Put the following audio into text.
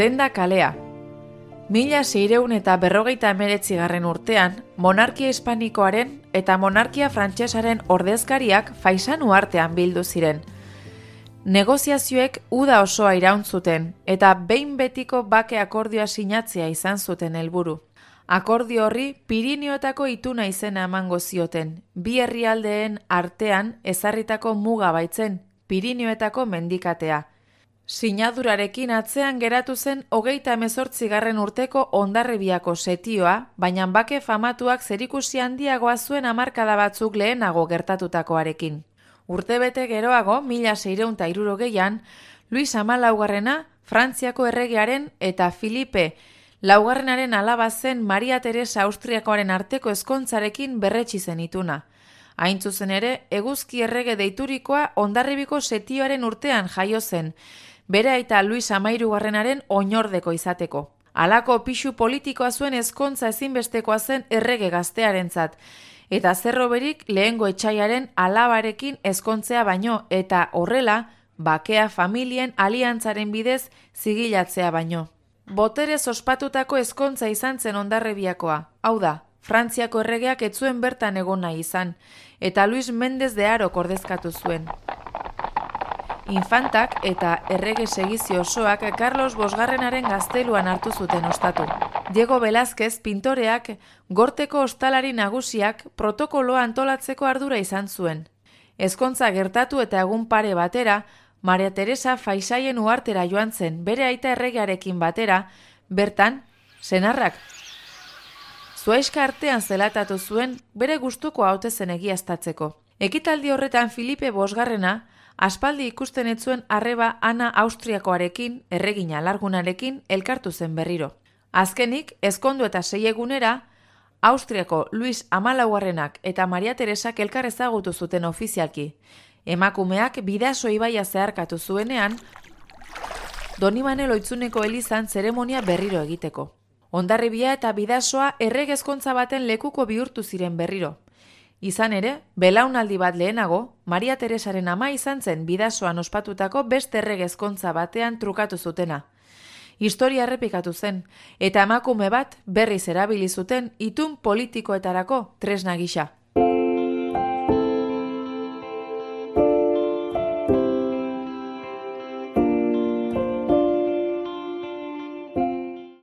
Lenda kalea. 1649 urtean, monarkia hispanikoaren eta monarkia frantsesaren ordezkariak faisanu artean bildu ziren. Negoziazioek uda osoa iraun zuten eta behin betiko bake akordioa sinatzea izan zuten helburu. Akordio horri Pirinioetako ituna izena emango zioten, bi herrialdeen artean ezarritako muga baitzen, Pirinioetako mendikatea. Sinadurarekin atzean geratu zen 38. urteko Hondarribiako setioa, baina bake famatuak zerikusi handiagoa zuen hamarkada batzuk lehenago gertatutakoarekin. Urtebete geroago, 1660an, Luis XIV Frantziako erregearen eta Filipe laugarrenaren alaba zen Maria Teresa Austriakoaren arteko ezkontzarekin berretsi zen ituna. Hain zuzen ere, eguzki errege deiturikoa Hondarribiko setioaren urtean jaio zen, bere aita Luis XIIIaren oinordeko izateko. Halako pisu politikoa zuen ezkontza ezinbestekoa zen errege gaztearentzat, eta zerroberik lehengo etsaiaren alabarekin ezkontzea baino, eta horrela, bakea familien aliantzaren bidez zigilatzea baino. Boterez ospatutako ezkontza izan zen Hondarribiakoa, hau da, Frantziako erregeak ez zuen bertan egon nahi izan, eta Luis Méndez de Harok ordezkatu zuen. Infantak eta errege segizio osoak Carlos Bosgarrenaren gazteluan hartu zuten ostatu. Diego Velázquez pintoreak gorteko ostalari nagusiak protokoloa antolatzeko ardura izan zuen. Ezkontza gertatu eta egun pare batera, Maria Teresa Faisaien uhartera joan zen, bere aita erregearekin batera, bertan, senarrak zuaiska artean zelatatu zuen bere gustuko haute zen egiaztatzeko. Ekitaldi horretan Filipe Bosgarrena aspaldi ikusten ez zuen arreba Ana Austriakoarekin, erregina alargunarekin, elkartu zen berriro. Azkenik, ezkondu eta 6 egunera, Austriako Luis XIV eta Maria Teresak elkar ezagutu zuten ofizialki. Emakumeak Bidaso ibaia zeharkatu zuenean, Donibane Lohitzuneko elizan zeremonia berriro egiteko. Hondarribia eta Bidasoa erregezkontza baten lekuko bihurtu ziren berriro. Izan ere, belaunaldi bat lehenago, Maria Teresaren ama izan zen Bidasoan ospatutako beste erregezkontza batean trukatu zutena. Historia errepikatu zen, eta emakume bat berriz erabili zuten itun politikoetarako tresna gisa.